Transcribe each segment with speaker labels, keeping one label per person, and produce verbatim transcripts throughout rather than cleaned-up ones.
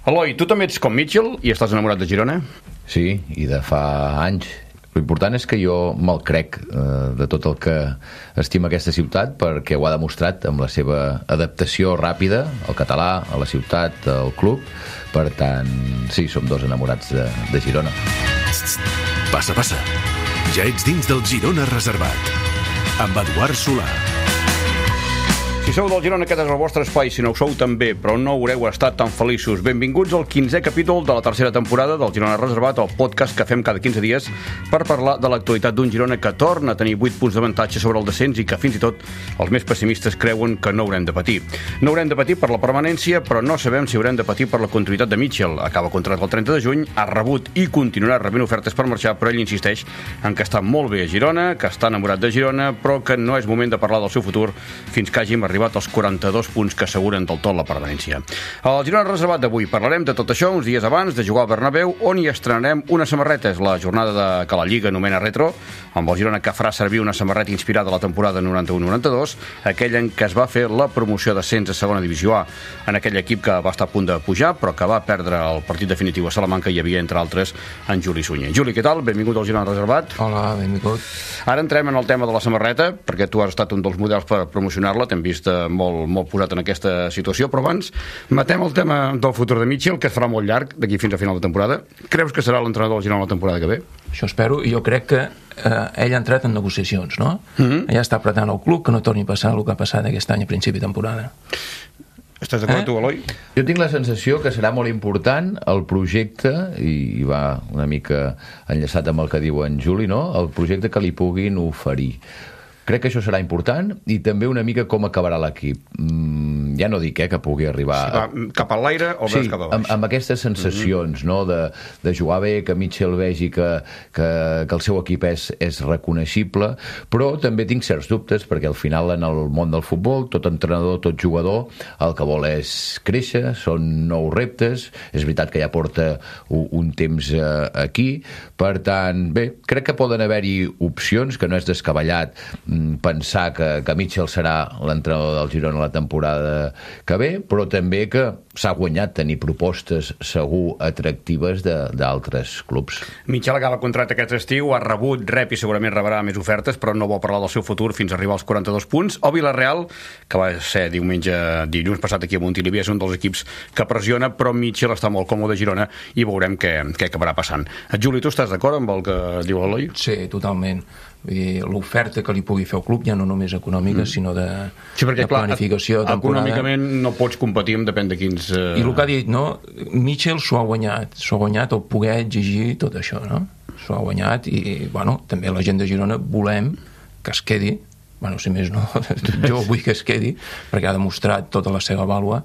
Speaker 1: Eloi, tu també ets com Mitchell i estàs enamorat de Girona?
Speaker 2: Sí, i de fa anys. L'important és que jo me'l crec eh, de tot el que estima aquesta ciutat, perquè ho ha demostrat amb la seva adaptació ràpida al català, a la ciutat, al club. Per tant, sí, som dos enamorats de, de Girona.
Speaker 3: Passa, passa. Ja ets dins del Girona Reservat. Amb Eduard Solà.
Speaker 1: Si sou del Girona, aquest és el vostre espai. Si no ho sou, també, però no haureu estat tan feliços. Benvinguts al quinzè capítol de la tercera temporada del Girona Reservat, el podcast que fem cada quinze dies per parlar de l'actualitat d'un Girona que torna a tenir vuit punts d'avantatge sobre el descens i que fins i tot els més pessimistes creuen que no haurem de patir. No haurem de patir per la permanència, però no sabem si haurem de patir per la continuïtat de Mitchell. Acaba contracte el trenta de juny, ha rebut i continuarà rebent ofertes per marxar, però ell insisteix en que està molt bé a Girona, que està enamorat de Girona, però que no és moment de parlar del seu futur fins que hàgim arribat als quaranta-dos punts que asseguren del tot la permanència. Al Girona Reservat d'avui parlarem de tot això uns dies abans de jugar al Bernabéu, on hi estrenarem una samarreta. És la jornada de, que la Lliga anomena Retro, amb el Girona que farà servir una samarreta inspirada a la temporada noranta-u noranta-dos, aquella en què es va fer la promoció d'ascens a segona divisió A, en aquell equip que va estar a punt de pujar, però que va perdre el partit definitiu a Salamanca. Hi havia, entre altres, en Juli Sunyer. Juli, què tal? Benvingut al Girona Reservat.
Speaker 4: Hola, benvingut.
Speaker 1: Ara entrem en el tema de la samarreta, perquè tu has estat un dels models per promocionar-la, t'hem vist molt molt, molt posat en aquesta situació, però abans matem el tema del futur de Mitchell, que es farà molt llarg d'aquí fins a final de temporada. Creus que serà l'entrenador del Girona la temporada que ve?
Speaker 4: Això espero, i jo crec que eh, ell ha entrat en negociacions, no?
Speaker 1: Mm-hmm.
Speaker 4: Ja està apretant el club que no torni a passar el que ha passat aquest any a principi de temporada.
Speaker 1: Estàs d'acord, eh? tu, Eloi?
Speaker 2: Jo tinc la sensació que serà molt important el projecte, i va una mica enllaçat amb el que diu en Juli, no? El projecte que li puguin oferir. Crec que això serà important, i també una mica com acabarà l'equip. Mm, ja no dic eh, que pugui arribar...
Speaker 1: Si va cap a l'aire o
Speaker 2: sí,
Speaker 1: veus cap a baix?
Speaker 2: Amb, amb aquestes sensacions, mm-hmm. no? de, de jugar bé, que Mitchell vegi que, que, que el seu equip és, és reconeixible, però també tinc certs dubtes, perquè al final en el món del futbol, tot entrenador, tot jugador, el que vol és créixer, són nous reptes, és veritat que ja porta un, un temps eh, aquí, per tant, bé, crec que poden haver-hi opcions, que no és descabellat pensar que, que Mitchell serà l'entrenador del Girona la temporada que ve, però també que s'ha guanyat tenir propostes segur atractives d'altres clubs.
Speaker 1: Mitchell acaba contracte aquest estiu, ha rebut, rep i segurament rebrà més ofertes, però no vol parlar del seu futur fins a arribar als quaranta-dos punts. O Villarreal, que va ser diumenge, dilluns passat aquí a Montilivi, és un dels equips que pressiona, però Mitchell està molt còmode a Girona i veurem què, què acabarà passant. Juli, tu estàs d'acord amb el que diu l'Eloi?
Speaker 4: Sí, totalment. L'oferta que li pugui fer el club ja no només econòmica, mm. sinó de,
Speaker 1: sí, perquè,
Speaker 4: de planificació
Speaker 1: clar,
Speaker 4: temporada.
Speaker 1: Econòmicament no pots competir amb depèn de quins... Uh...
Speaker 4: I el que ha dit, no? Mitchell s'ho ha guanyat, s'ho ha guanyat el poder exigir tot això, no? S'ho ha guanyat i, bueno, també la gent de Girona volem que es quedi, bueno, si més no, jo vull que es quedi, perquè ha demostrat tota la seva vàlua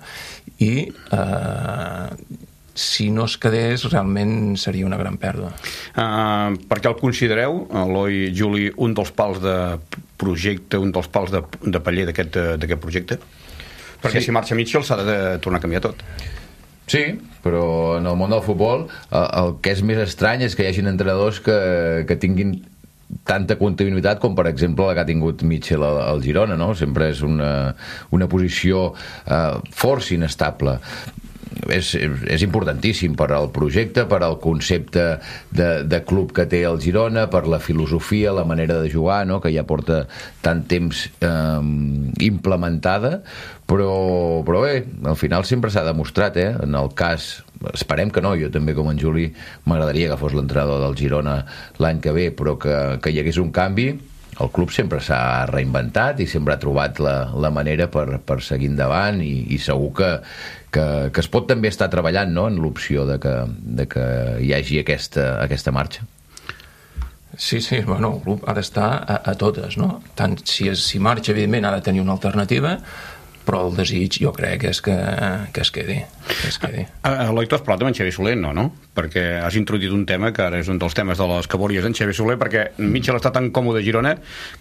Speaker 4: i... Eh, si no es quedés, realment seria una gran pèrdua.
Speaker 1: Uh, per què el considereu, Eloi, Juli, un dels pals de projecte, un dels pals de, de paller d'aquest projecte? Perquè sí. Si marxa Mitchell s'ha de tornar a canviar tot.
Speaker 2: Sí, però en el món del futbol el, el que és més estrany és que hi hagi entrenadors que, que tinguin tanta continuïtat com per exemple la que ha tingut Mitchell al, al Girona, no? Sempre és una, una posició uh, força inestable. És, és importantíssim per al projecte, per al concepte de, de club que té el Girona, per la filosofia, la manera de jugar, no? Que ja porta tant temps eh, implementada, però, però bé, al final sempre s'ha demostrat, eh? En el cas, esperem que no, jo també com en Juli m'agradaria que fos l'entrenador del Girona l'any que ve, però que, que hi hagués un canvi. El club sempre s'ha reinventat i sempre ha trobat la, la manera per, per seguir endavant i, i segur que, que, que es pot també estar treballant, no?, en l'opció de que, de que hi hagi aquesta, aquesta marxa.
Speaker 4: Sí, sí, bueno, el club ha d'estar a, a totes, no? Tant si, es, si marxa, evidentment, ha de tenir una alternativa, però el desig jo crec és que, que es quedi, que es quedi.
Speaker 1: Eloi, tu has parlat amb en Xavi Soler, no, no? Perquè has introduït un tema que ara és un dels temes de les cabòries en Xavi Soler, perquè Mitchell està tan còmode a Girona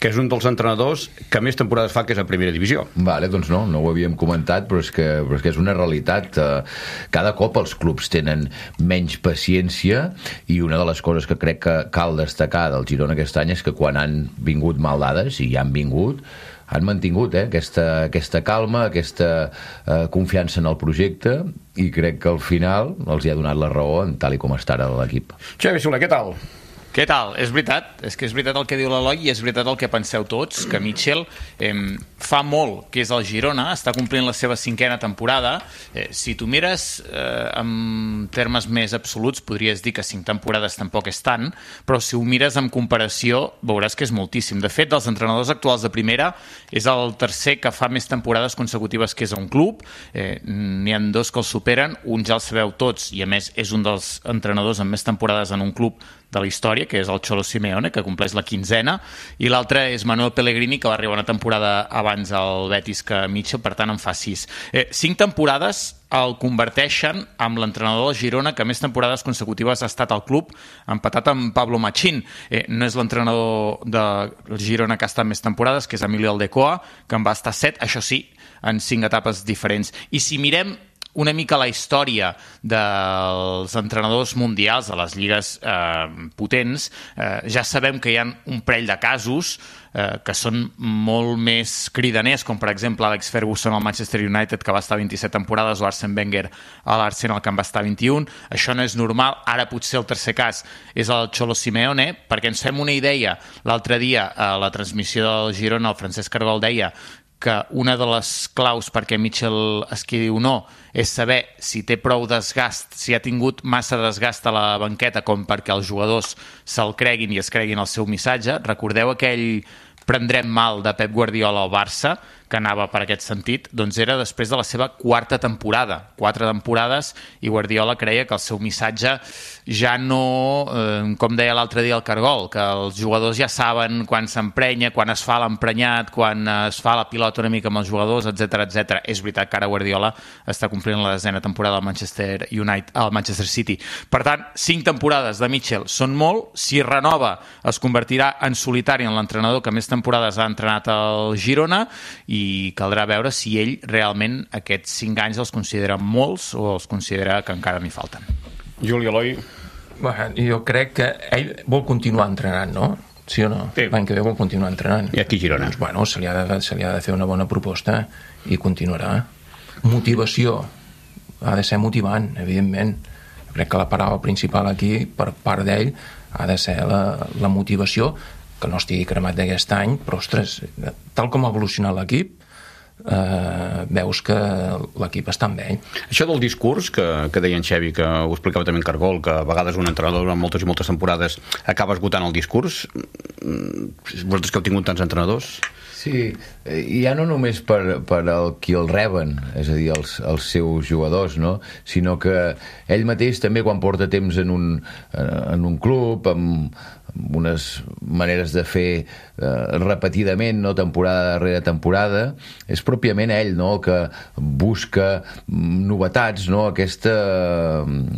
Speaker 1: que és un dels entrenadors que més temporades fa que és a primera divisió.
Speaker 2: Vale, doncs no, no ho havíem comentat, però és que, però és, que és una realitat. Cada cop els clubs tenen menys paciència i una de les coses que crec que cal destacar del Girona aquest any és que quan han vingut mal dades, i ja han vingut, han mantingut eh, aquesta, aquesta calma, aquesta eh, confiança en el projecte, i crec que al final els hi ha donat la raó en tal i com està ara l'equip.
Speaker 1: Xavi Soler, què tal?
Speaker 5: Què tal? És veritat, és que és veritat el que diu l'Eloi i és veritat el que penseu tots, que Mitchell eh, fa molt que és el Girona, està complint la seva cinquena temporada. Eh, si tu mires eh, en termes més absoluts, podries dir que cinc temporades tampoc és tant, però si ho mires en comparació veuràs que és moltíssim. De fet, dels entrenadors actuals de primera, és el tercer que fa més temporades consecutives que és a un club. Eh, n'hi ha dos que el superen, un ja el sabeu tots, i a més és un dels entrenadors amb més temporades en un club de la història, que és el Cholo Simeone, que compleix la quinzena, i l'altre és Manuel Pellegrini, que va arribar una temporada abans al Betis que Mitchell, per tant en fa sis. Eh, cinc temporades el converteixen amb l'entrenador del Girona que més temporades consecutives ha estat al club, empatat amb Pablo Machín. Eh, no és l'entrenador del Girona que ha estat més temporades, que és Emilio Aldecoa, que en va estar set, això sí, en cinc etapes diferents. I si mirem una mica la història dels entrenadors mundials de les lligues eh, potents, eh, ja sabem que hi ha un parell de casos eh, que són molt més cridaners, com per exemple Alex Ferguson al Manchester United, que va estar vint-i-set temporades, o Arsene Wenger a l'Arsenal, que en va estar vint-i-un. Això no és normal. Ara potser el tercer cas és el Cholo Simeone, perquè ens fem una idea. L'altre dia a la transmissió del Girona el Francesc Cargol deia que una de les claus perquè Mitchell es quedi o no és saber si té prou desgast, si ha tingut massa desgast a la banqueta com perquè els jugadors se'l creguin i es creguin el seu missatge. Recordeu aquell prendrem mal de Pep Guardiola al Barça, que anava per aquest sentit, doncs era després de la seva quarta temporada. Quatre temporades, i Guardiola creia que el seu missatge ja no, eh, com deia l'altre dia el Cargol, que els jugadors ja saben quan s'emprenya, quan es fa l'emprenyat, quan es fa la pilota una mica amb els jugadors, etcètera, etcètera. És veritat que ara Guardiola està complint la desena temporada al Manchester United, al Manchester City. Per tant, cinc temporades de Mitchell són molt. Si renova, es convertirà en solitari en l'entrenador que més temporades ha entrenat al Girona, i caldrà veure si ell realment aquests cinc anys els considera molts o els considera que encara n'hi falten.
Speaker 1: Juli, Eloi?
Speaker 4: Bueno, jo crec que ell vol continuar entrenant, no? Sí o no?
Speaker 1: Sí.
Speaker 4: L'any que ve vol continuar entrenant.
Speaker 1: I aquí Girona?
Speaker 4: Doncs, bueno, se li, ha de, se li ha de fer una bona proposta i continuarà. Motivació. Ha de ser motivant, evidentment. Jo crec que la paraula principal aquí, per part d'ell, ha de ser la, la motivació, que no estigui cremat d'aquest any, però, ostres, tal com ha evolucionat l'equip, eh, veus que l'equip està amb ell.
Speaker 1: Això del discurs, que, que deia en Xavi, que ho explicava també en Cargol, que a vegades un entrenador durant moltes i moltes temporades acaba esgotant el discurs. Vosaltres que heu tingut tants entrenadors?
Speaker 2: Sí, i ja no només per, per el qui el reben, és a dir, els, els seus jugadors, no? Sinó que ell mateix també, quan porta temps en un, en un club, amb, amb unes maneres de fer eh, repetidament, no? Temporada darrere temporada, és pròpiament ell, no? El que busca novetats, no? Aquesta,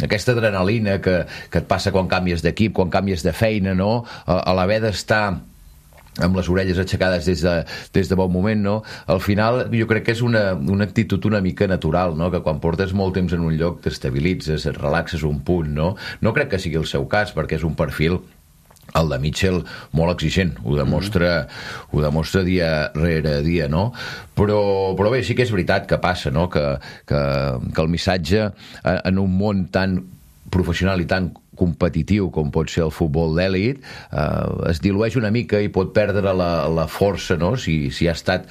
Speaker 2: aquesta adrenalina que, que et passa quan canvies d'equip, quan canvies de feina, no? A, a l'haver d'estar amb les orelles aixecades des de, des de bon moment, no? Al final jo crec que és una, una actitud una mica natural, no? Que quan portes molt temps en un lloc t'estabilitzes, et relaxes un punt, no? No crec que sigui el seu cas, perquè és un perfil, el de Mitchell, molt exigent, ho demostra, mm. ho demostra dia rere dia, no? Però, però bé, sí que és veritat que passa, no? Que, que, que el missatge en un món tan professional i tan competitiu com pot ser el futbol d'èlit, eh, es dilueix una mica i pot perdre la, la força, no? Si, si ha estat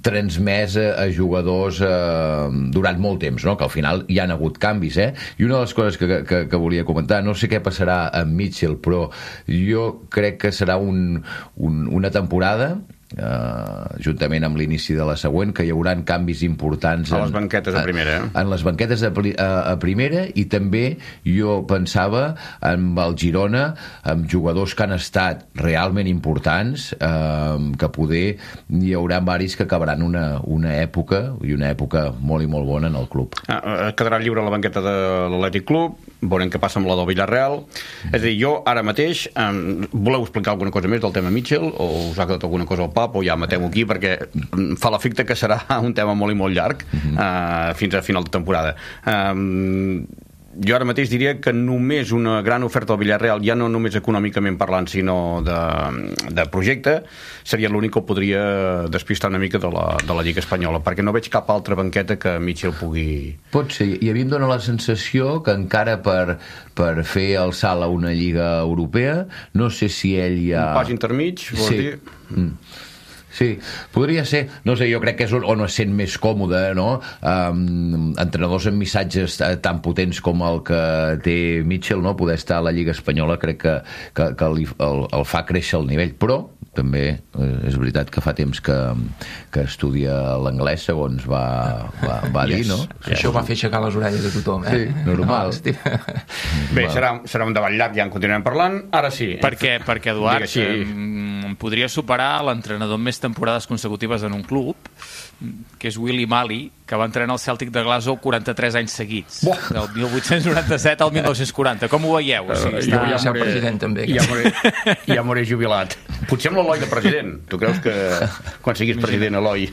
Speaker 2: transmès a, a jugadors eh, durant molt temps, no? Que al final hi han hagut canvis, eh? I una de les coses que, que, que volia comentar, no sé què passarà amb Mitchell, però jo crec que serà un, un, una temporada Uh, juntament amb l'inici de la següent, que hi haurà canvis importants
Speaker 1: a les banquetes a primera, eh?
Speaker 2: en les banquetes a, a, a primera, i també jo pensava amb el Girona, amb jugadors que han estat realment importants, uh, que poder hi haurà varis que acabaran una, una època, i una època molt i molt bona en el club.
Speaker 1: Ah, quedarà lliure la banqueta de l'Atlètic Club, veurem què passa amb la del Villarreal. És a dir, jo ara mateix, um, voleu explicar alguna cosa més del tema Mitchell, o us ha quedat alguna cosa al pap, o ja matem-ho aquí, perquè fa l'efecte que serà un tema molt i molt llarg, uh, fins a final de temporada. Um, jo ara mateix diria que només una gran oferta al Villarreal, ja no només econòmicament parlant, sinó de, de projecte, seria l'únic que ho podria despistar una mica de la, de la Lliga Espanyola, perquè no veig cap altra banqueta que Mitchell pugui...
Speaker 2: Pot ser, i a mi em dóna la sensació que encara per, per fer el salt a una Lliga Europea, no sé si ell ja...
Speaker 1: Un pas intermig, vols
Speaker 2: sí.
Speaker 1: dir?
Speaker 2: Mm. Sí, podria ser, no sé, jo crec que és on es sent més còmode, no? Um, entrenadors amb missatges tan potents com el que té Mitchell, no? Poder estar a la Lliga Espanyola crec que, que, que el, el, el fa créixer el nivell, però també eh, és veritat que fa temps que, que estudia l'anglès, segons va, va, va dir, yes. no?
Speaker 4: Yes. Això va fer aixecar les orelles de tothom, eh?
Speaker 2: Sí, normal.
Speaker 4: No,
Speaker 1: Bé, serà, serà un debat llarg, ja en continuem parlant. Ara sí.
Speaker 5: Perquè, perquè Eduard,
Speaker 1: Digue, sí.
Speaker 5: eh, podria superar l'entrenador amb més temporades consecutives en un club, que és Willy Mali, que va entrenar el Celtic de Glasgow quaranta-tres anys seguits, Buah. del mil vuit-cents noranta-set al mil nou-cents quaranta. Com ho veieu? O sigui,
Speaker 4: està...
Speaker 5: està...
Speaker 4: ja moré, president, també.
Speaker 1: Ja moré, ja moré jubilat. Potser amb l'Eloi de president. Tu creus que quan siguis president, Eloi...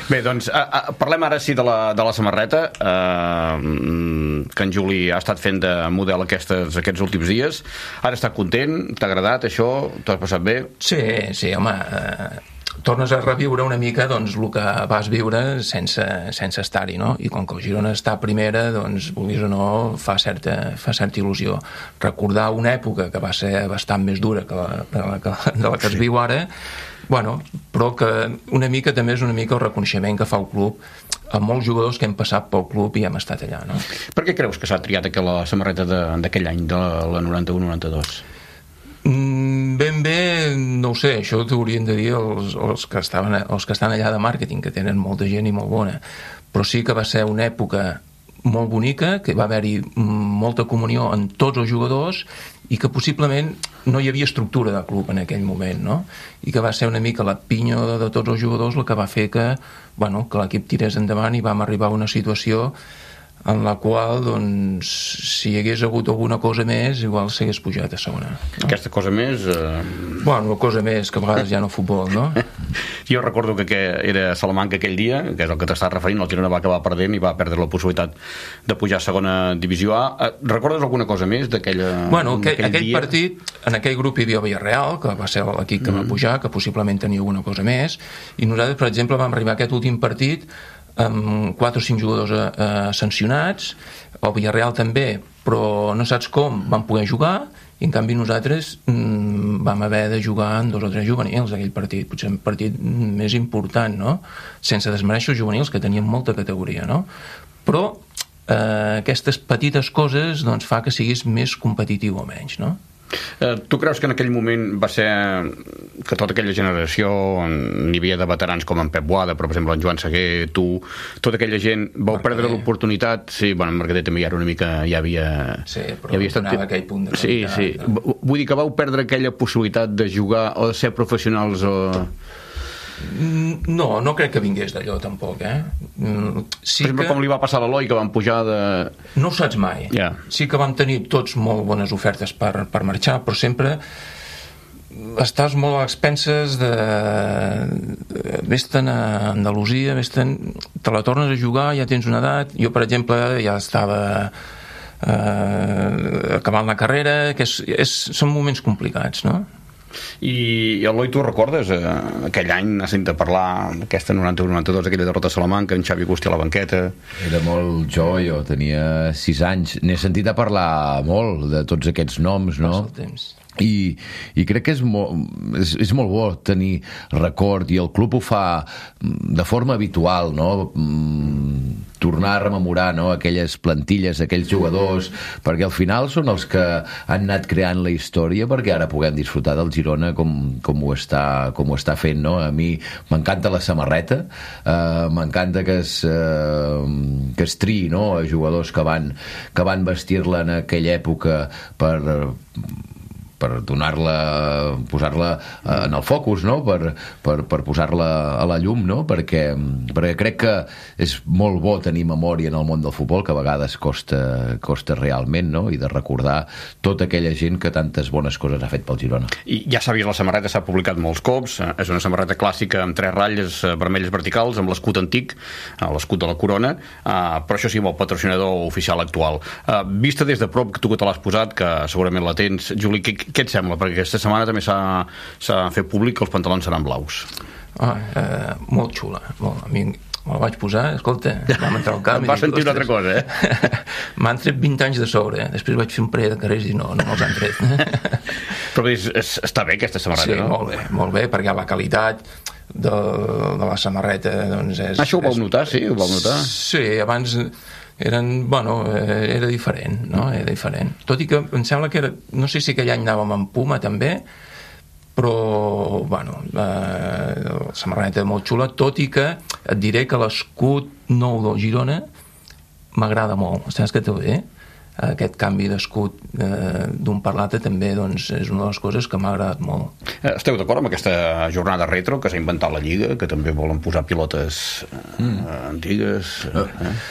Speaker 1: Bé, doncs, a, a, parlem ara sí de la, de la samarreta, eh, que en Juli ha estat fent de model aquestes, aquests últims dies. Ara està content? T'ha agradat això? T'ho has passat bé?
Speaker 4: Sí, sí, home... Eh... tornes a reviure una mica doncs, el que vas viure sense, sense estar-hi, no? I com que el Girona està a primera, doncs, vulguis o no, fa certa, fa certa il·lusió. Recordar una època que va ser bastant més dura que la, que la, que la, de la que es viu ara, bueno, però que una mica també és una mica el reconeixement que fa el club a molts jugadors que hem passat pel club i hem estat allà, no?
Speaker 1: Per què creus que s'ha triat aquella samarreta d'aquell any, de la noranta-u noranta-dos?
Speaker 4: Ben bé, no ho sé, això t'ho haurien de dir els, els, que estaven, els que estan allà de màrqueting, que tenen molta gent i molt bona, però sí que va ser una època molt bonica, que va haver-hi molta comunió en tots els jugadors i que possiblement no hi havia estructura de club en aquell moment, no? I que va ser una mica la pinya de, de tots els jugadors el que va fer que, bueno, que l'equip tirés endavant i vam arribar a una situació en la qual, doncs, si hi hagués hagut alguna cosa més, igual s'hagués pujat a segona. No?
Speaker 1: Aquesta cosa més... Eh...
Speaker 4: Bueno, cosa més, que a vegades ja no futbol, no?
Speaker 1: Jo recordo que, que era Salamanca aquell dia, que és el que t'estàs referint, el Girona va acabar perdent i va perdre la possibilitat de pujar a segona divisió A. Recordes alguna cosa més d'aquella
Speaker 4: Bueno, aquell, aquell
Speaker 1: dia?
Speaker 4: partit, en aquell grup hi havia Villarreal, que va ser l'equip que mm. va pujar, que possiblement tenia alguna cosa més, i nosaltres, per exemple, vam arribar a aquest últim partit amb quatre o cinc jugadors eh, sancionats, el Villarreal també, però no saps com van poder jugar, i en canvi nosaltres mm, vam haver de jugar en dos o tres juvenils aquell partit, potser un partit més important, no? Sense desmereixer els juvenils, que tenien molta categoria, no? Però eh, aquestes petites coses doncs, fa que siguis més competitiu o menys, no?
Speaker 1: Eh, tu creus que en aquell moment va ser que tota aquella generació, n'hi havia de veterans com en Pep Boada, però per exemple en Joan Seguer, tu, tota aquella gent vau
Speaker 4: Mercader.
Speaker 1: perdre l'oportunitat, sí, bueno, en Mercader també hi era una mica, ja havia...
Speaker 4: Sí, però
Speaker 1: ja havia estat...
Speaker 4: donava aquell punt de
Speaker 1: sí,
Speaker 4: qualitat,
Speaker 1: sí.
Speaker 4: no?
Speaker 1: Vull dir que vau perdre aquella possibilitat de jugar o de ser professionals o...
Speaker 4: No, no crec que vingués d'allò tampoc, eh? Sí
Speaker 1: per exemple,
Speaker 4: que...
Speaker 1: com li va passar a l'Eloi, que van pujar de...
Speaker 4: No ho saps mai.
Speaker 1: Yeah.
Speaker 4: Sí que vam tenir tots molt bones ofertes per, per marxar, però sempre estàs molt a expenses de... Vés-te'n a Andalusia, vés-te'n... Te la tornes a jugar, ja tens una edat... Jo, per exemple, ja estava eh, acabant la carrera, que és, és, són moments complicats, no?
Speaker 1: I Eloi, tu recordes eh, aquell any, has sentit parlar aquesta noranta-u noranta-dos, aquella derrota a Salamanca, en Xavi Agustí a la banqueta?
Speaker 2: Era molt jove, jo tenia sis anys, n'he sentit a parlar molt de tots aquests noms, no?
Speaker 4: Passa el temps.
Speaker 2: I, i crec que és molt, és, és molt bo tenir record, i el club ho fa de forma habitual, no? Mm, tornar a rememorar, no? Aquelles plantilles, aquells jugadors, perquè al final són els que han anat creant la història perquè ara puguem disfrutar del Girona com, com, ho, està, com ho està fent, no? A mi m'encanta la samarreta, eh, m'encanta que es, eh, que es triï, no? A jugadors que van, que van vestir-la en aquella època per... per donar-la, posar-la en el focus, no? per, per, per posar-la a la llum, no? perquè, perquè crec que és molt bo tenir memòria en el món del futbol, que a vegades costa, costa realment, no? I de recordar tota aquella gent que tantes bones coses ha fet pel Girona.
Speaker 1: I ja s'ha vist la samarreta, s'ha publicat molts cops, és una samarreta clàssica amb tres ratlles vermelles verticals, amb l'escut antic, l'escut de la corona, però això sí, amb el patrocinador oficial actual. Vista des de prop, que tu que te l'has posat, que segurament la tens, Juli, què, què et sembla? Perquè aquesta setmana també s'ha fet públic que els pantalons seran blaus.
Speaker 4: Ah, eh, molt xula, molt. A mi me la vaig posar, escolta, vam entrar al camp
Speaker 1: em va sentir una altra cosa, eh?
Speaker 4: M'han tret vint anys de sobre, eh? Després vaig fer un parell de carrers i no, no me'ls han tret.
Speaker 1: Però és, és, està bé aquesta samarreta,
Speaker 4: sí,
Speaker 1: no?
Speaker 4: Sí, molt bé, molt bé, perquè la qualitat de, de la samarreta doncs és...
Speaker 1: Ah, això ho vau notar, sí? Ho vau notar?
Speaker 4: Sí, abans eren, bueno, era diferent, no? Era diferent. Tot i que em sembla que era, no sé si aquell any anàvem amb Puma també, però, bueno, eh, la samarreta molt xula, tot i que et diré que l'escut nou del Girona m'agrada molt. Saps que també, eh? Aquest canvi d'escut eh, d'un per l'altre també doncs, és una de les coses que m'ha agradat molt.
Speaker 1: Esteu d'acord amb aquesta jornada retro que s'ha inventat la Lliga, que també volen posar pilotes eh, mm. antigues? Eh?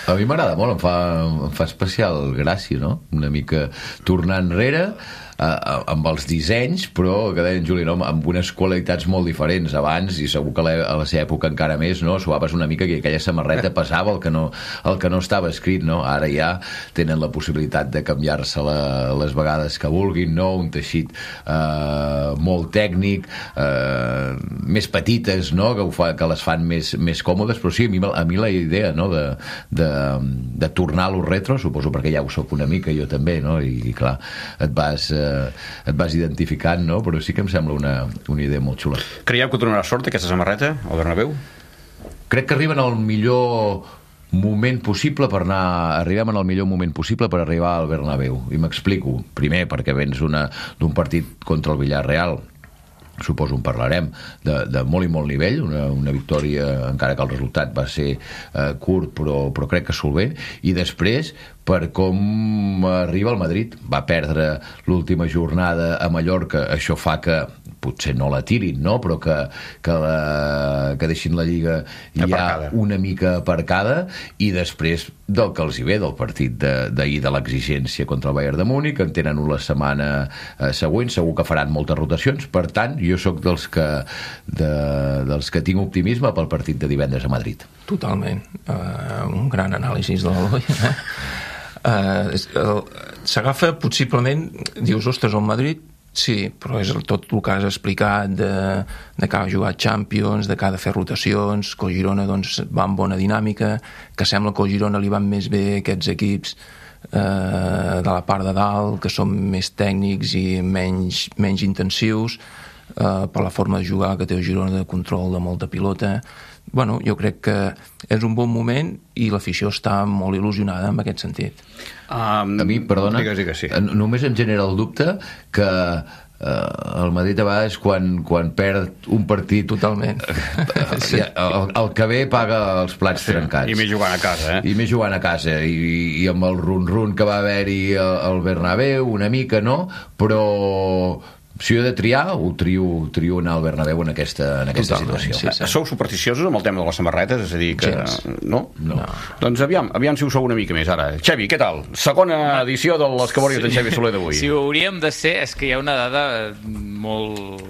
Speaker 2: A mi m'agrada molt, em fa, em fa especial gràcia, no? Una mica tornar enrere Uh, amb els dissenys, però que deia en Juli, no? Amb unes qualitats molt diferents. Abans, i segur que a la seva època encara més, no? Suaves una mica que aquella samarreta passava el que no, el que no estava escrit, no? Ara ja tenen la possibilitat de canviar-se-la les vegades que vulguin, no? Un teixit uh, molt tècnic, uh, més petites, no? Que, ho fa, que les fan més, més còmodes, però sí, a mi, a mi la idea, no? de, de, de tornar a lo retro, suposo perquè ja ho soc una mica, jo també, no? I, i clar, et vas... Uh, et vas identificant, no? Però sí que em sembla una, una idea molt xula.
Speaker 1: Creieu que donarà sort aquesta samarreta al Bernabéu?
Speaker 2: Crec que arriben al millor moment possible per anar... Arribem en el millor moment possible per arribar al Bernabéu. I m'explico. Primer, perquè vens d'un partit contra el Villarreal, suposo en parlarem, de, de molt i molt nivell, una, una victòria, encara que el resultat va ser eh, curt, però, però crec que solvent, i després per com arriba el Madrid. Va perdre l'última jornada a Mallorca, això fa que potser no la tirin, no? Però que, que, la, que deixin la Lliga ja aparcada, una mica aparcada, i després del que els hi ve del partit d'ahir de, de l'exigència contra el Bayern de Múnich, en tenen una setmana eh, següent, segur que faran moltes rotacions, per tant jo sóc dels que, de, dels que tinc optimisme pel partit de divendres a Madrid.
Speaker 4: Totalment, uh, un gran anàlisi de l'Eloi, eh? Uh, s'agafa possiblement, dius, ostres, el Madrid sí, però és tot el que has explicat de, de que ha jugat Champions, de que ha de fer rotacions, que el Girona doncs, va amb bona dinàmica, que sembla que el Girona li van més bé aquests equips eh, de la part de dalt, que són més tècnics i menys, menys intensius, eh, per la forma de jugar que té el Girona, de control de molta pilota. Bueno, jo crec que és un bon moment i l'afició està molt il·lusionada en aquest sentit.
Speaker 2: Um, a mi, perdona, digues, digues, sí. Només em genera el dubte que uh, el Madrid a vegades quan, quan perd un partit
Speaker 4: totalment
Speaker 2: sí. el, el que ve paga els plats sí. trencats,
Speaker 1: i més jugant a casa, eh?
Speaker 2: i més jugant a casa i, i amb el run-run que va haver-hi al Bernabéu una mica, no? Però si jo he de triar, ho trio, trio anar al Bernabéu en aquesta, en aquesta situació.
Speaker 1: Sí, sí. Sou supersticiosos amb el tema de les samarretes? És a dir, que... No?
Speaker 2: No.
Speaker 1: no? Doncs aviam, aviam si ho sou una mica més ara. Xevi, què tal? Segona edició de les Cabòries d'en Xevi Soler d'avui.
Speaker 5: Si ho hauríem de ser, és que hi ha una dada molt,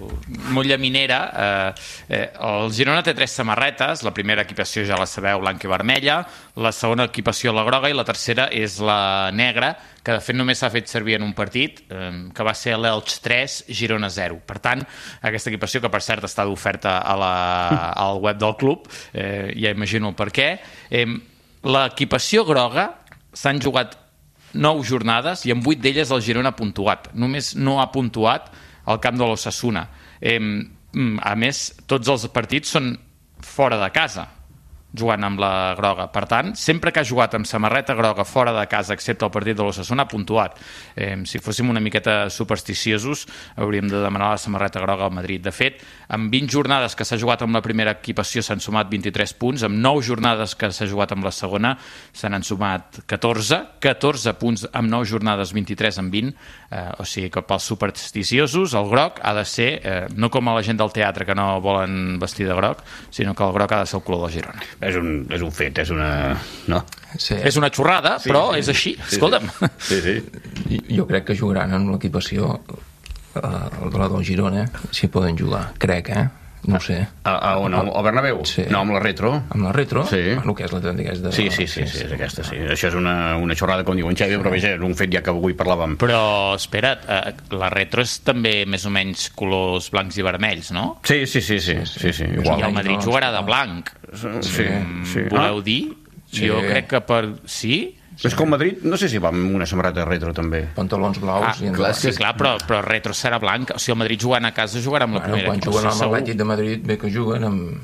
Speaker 5: molt llaminera. Eh, eh, el Girona té tres samarretes. La primera equipació ja la sabeu, blanca i vermella. La segona equipació la groga i la tercera és la negra, que de fet només s'ha fet servir en un partit, eh, que va ser l'Elx tres, Girona zero. Per tant, aquesta equipació, que per cert està d'oferta a la, al web del club, eh, ja imagino el per què, eh, l'equipació groga s'han jugat nou jornades i en vuit d'elles el Girona ha puntuat. Només no ha puntuat al camp de l'Osasuna. Eh, a més, tots els partits són fora de casa. jugant amb la groga. Per tant, sempre que ha jugat amb samarreta groga fora de casa, excepte el partit de l'Osasuna, ha puntuat. Eh, si fóssim una miqueta supersticiosos, hauríem de demanar la samarreta groga al Madrid. De fet, amb vint jornades que s'ha jugat amb la primera equipació s'han sumat vint-i-tres punts, amb nou jornades que s'ha jugat amb la segona se n'han sumat catorze, catorze punts amb nou jornades, vint-i-tres amb vint, eh, o sigui que pels supersticiosos el groc ha de ser, eh, no com a la gent del teatre que no volen vestir de groc, sinó que el groc ha de ser el color de Girona.
Speaker 1: És un, és un fet, és una... No?
Speaker 4: Sí.
Speaker 5: És una xorrada,
Speaker 1: Sí,
Speaker 5: però
Speaker 1: sí.
Speaker 5: és així,
Speaker 1: Sí,
Speaker 5: escolta'm.
Speaker 1: Sí, sí.
Speaker 4: Jo crec que jugaran en l'equipació eh, de la del Girona, si poden jugar, crec, eh? No ho sé.
Speaker 1: A, a on? Al Bernabéu?
Speaker 4: Sí.
Speaker 1: No, amb la retro?
Speaker 4: Amb la retro?
Speaker 1: Sí.
Speaker 4: Bueno, que és la aquesta...
Speaker 1: Sí, sí, sí, sí, és aquesta, sí. Això és una, una xorrada, com diu en Xavi, però vaja, és un fet ja que avui parlàvem.
Speaker 5: Però, espera't, eh, la retro és també més o menys colors blancs i vermells, no?
Speaker 1: Sí, sí, sí, sí, sí, sí,
Speaker 5: I
Speaker 1: igual.
Speaker 5: el Madrid jugarà de blanc.
Speaker 1: Sí, sí.
Speaker 5: Voleu
Speaker 1: Ah,
Speaker 5: dir?
Speaker 4: Sí.
Speaker 5: Jo crec que per... Sí?
Speaker 1: és que el Madrid, no sé si va amb una samarreta retro, també.
Speaker 4: Pantalons blaus
Speaker 5: Ah,
Speaker 4: i
Speaker 5: clar,
Speaker 4: endavant.
Speaker 5: sí, clar, però, però retro serà blanc. O sigui, el Madrid jugant a casa jugarà amb la
Speaker 4: Bueno,
Speaker 5: primera
Speaker 4: quan
Speaker 5: equipació,
Speaker 4: juguen amb
Speaker 5: segur.
Speaker 4: l'Atlètic de Madrid, bé que juguen amb...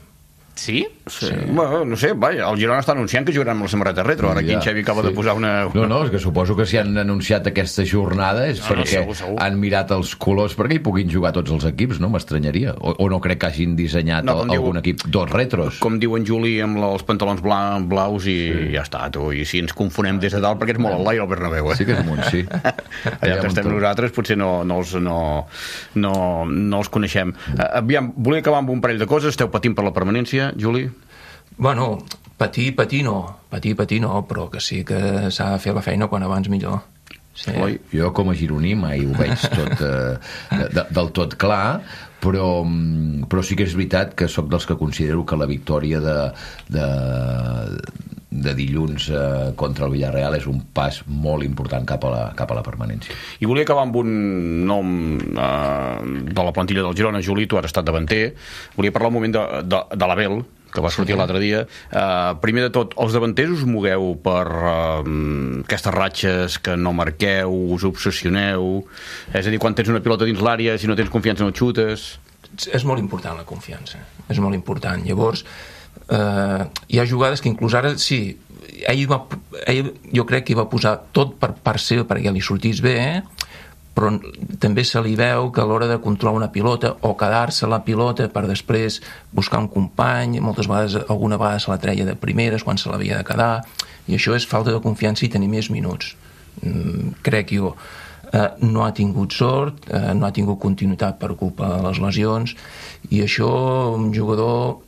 Speaker 5: Sí?
Speaker 1: Sí. Bueno, no sé, vaja, el Girona està anunciant que jugaran amb la samarreta retro. Ara aquí en
Speaker 2: Ja.
Speaker 1: Xavi acaba de posar una...
Speaker 2: No, no, és que suposo que si han anunciat aquesta jornada és
Speaker 5: No, no,
Speaker 2: perquè
Speaker 5: segur, segur.
Speaker 2: han mirat els colors perquè hi puguin jugar tots els equips, no? M'estranyaria. O, o no crec que hagin dissenyat
Speaker 1: No, com
Speaker 2: no,
Speaker 1: diu-
Speaker 2: algun equip dos retros.
Speaker 1: Com diu en Juli, amb la- els pantalons bla, blaus i sí. ja està, tu. I si ens confonem des de dalt, perquè és molt al l'aire el Bernabéu, eh?
Speaker 2: Sí que és amunt, sí.
Speaker 1: Allà on estem nosaltres potser no, no, els, no, no, no els coneixem. Uh, aviam, volia acabar amb un parell de coses. Esteu patint per la permanència, Juli?
Speaker 4: Bueno, patir, patir no. Patir, patir no, però que sí que s'ha de fer la feina quan abans millor. Sí.
Speaker 1: Oi?
Speaker 2: Jo com a gironí mai ho veig tot eh, de, de, del tot clar, però, mm, però sí que és veritat que sóc dels que considero que la victòria de, de, de dilluns eh, contra el Villarreal és un pas molt important cap a la, cap a la permanència.
Speaker 1: I volia acabar amb un nom eh, de la plantilla del Girona. Juli, tu has estat davanter. Volia parlar un moment de, de, de l'Abel, que va sortir sí. l'altre dia. Uh, primer de tot, els davanters us mogueu per uh, aquestes ratxes que no marqueu, us obsessioneu, és a dir, quan tens una pilota dins l'àrea, si no tens confiança no et xutes...
Speaker 4: És molt important la confiança, és molt important. Llavors, eh, hi ha jugades que inclús ara, sí, ell, va, ell jo crec que hi va posar tot per part seva perquè li sortís bé, eh? Però també se li veu que a l'hora de controlar una pilota o quedar-se la pilota per després buscar un company, moltes vegades, alguna vegada se la treia de primeres quan se l'havia de quedar, i això és falta de confiança i tenir més minuts, mm, crec jo. Eh, no ha tingut sort, eh, no ha tingut continuïtat per culpa de les lesions, i això un jugador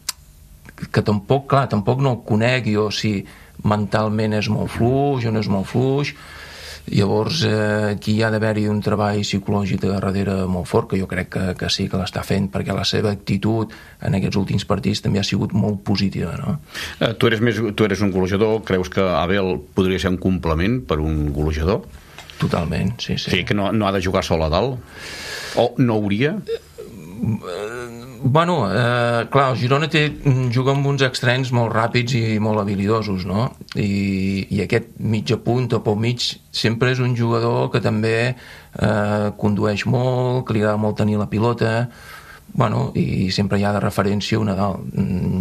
Speaker 4: que tampoc, clar, tampoc no el conec jo si mentalment és molt fluix o no és molt fluix. Llavors eh, aquí hi ha d'haver-hi un treball psicològic de darrere molt fort, que jo crec que, que sí que l'està fent, perquè la seva actitud en aquests últims partits també ha sigut molt positiva, no?
Speaker 1: Uh, tu, eres més, tu eres un golejador, creus que Abel podria ser un complement per un golejador?
Speaker 4: Totalment, sí, sí.
Speaker 1: Sí, que no, no ha de jugar sol a dalt? O no hauria?
Speaker 4: Bueno, eh, clar, el Girona té, juga amb uns extrems molt ràpids i molt habilidosos, no? I, i aquest mitja punta o pel mig sempre és un jugador que també eh, condueix molt, que li agrada molt tenir la pilota, bueno, i sempre hi ha de referència una dalt.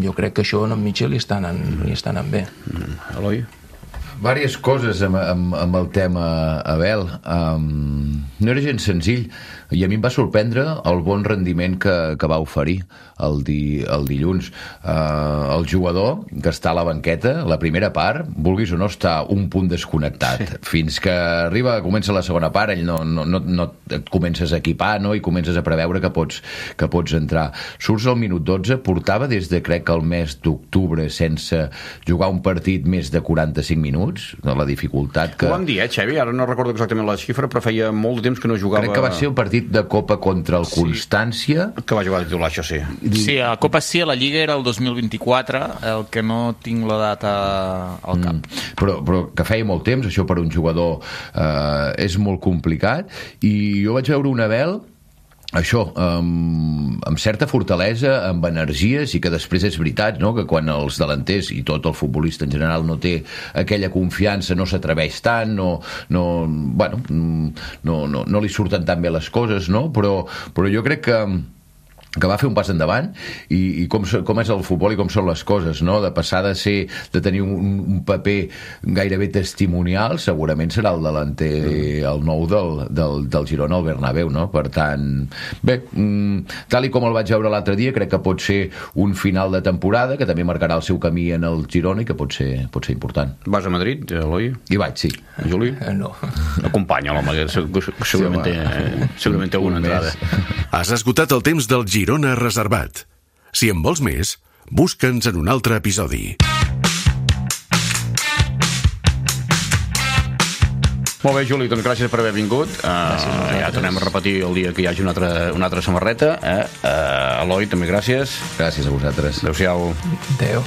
Speaker 4: Jo crec que això en Mitchell li està anant, li està anant bé.
Speaker 1: Mm, Eloi?
Speaker 2: Vàries coses amb, amb, amb el tema Abel. Um, no era gens senzill, i a mi em va sorprendre el bon rendiment que, que va oferir el, di, el dilluns. Uh, el jugador que està a la banqueta, la primera part, vulguis o no, està un punt desconnectat. Sí. Fins que arriba, comença la segona part, ell no, no, no, no et comences a equipar, no? I comences a preveure que pots, que pots entrar. Surts al minut dotze, portava des de, crec que el mes d'octubre, sense jugar un partit més de quaranta-cinc minuts, de la dificultat que...
Speaker 1: Ho vam dir, eh, Xavi? Ara no recordo exactament la xifra, però feia molt de temps que no jugava...
Speaker 2: Crec que va ser un partit de Copa contra el Constància.
Speaker 1: Sí, que va jugar de titular, això sí.
Speaker 5: Sí, a la Copa sí, a la Lliga era el dos mil vint-i-quatre, el que no tinc la data al cap.
Speaker 2: Mm, però, però que feia molt temps, això per un jugador eh, és molt complicat, i jo vaig veure un Abel això, amb, amb certa fortalesa, amb energies, i que després és veritat, no?, que quan els delanters i tot el futbolista en general no té aquella confiança, no s'atreveix tant, no, no, bueno, no, no, no li surten tan bé les coses, no? Però, però jo crec que que va fer un pas endavant i, i com, com és el futbol i com són les coses, no? De passar de ser de tenir un, un paper gairebé testimonial, segurament serà el delanter, el nou del, del, del Girona al Bernabéu, no? Per tant, bé, tal i com el vaig veure l'altre dia, crec que pot ser un final de temporada que també marcarà el seu camí en el Girona i que pot ser, pot ser important.
Speaker 1: Vas a Madrid, Eloi?
Speaker 2: Hi vaig, sí.
Speaker 1: Juli?
Speaker 4: Eh, no.
Speaker 1: Acompanya l'home, segurament, sí, té, segurament té alguna entrada.
Speaker 3: Has esgotat el temps del Girona reservat. Si en vols més, busca'ns en un altre episodi.
Speaker 1: Molt bé, Juli, doncs gràcies per haver vingut. Uh, ja tornem a repetir el dia que hi hagi una altra, una altra samarreta. Eh? Uh, Eloi, també gràcies.
Speaker 2: Gràcies a vosaltres.
Speaker 1: Adéu-siau.
Speaker 4: Adéu.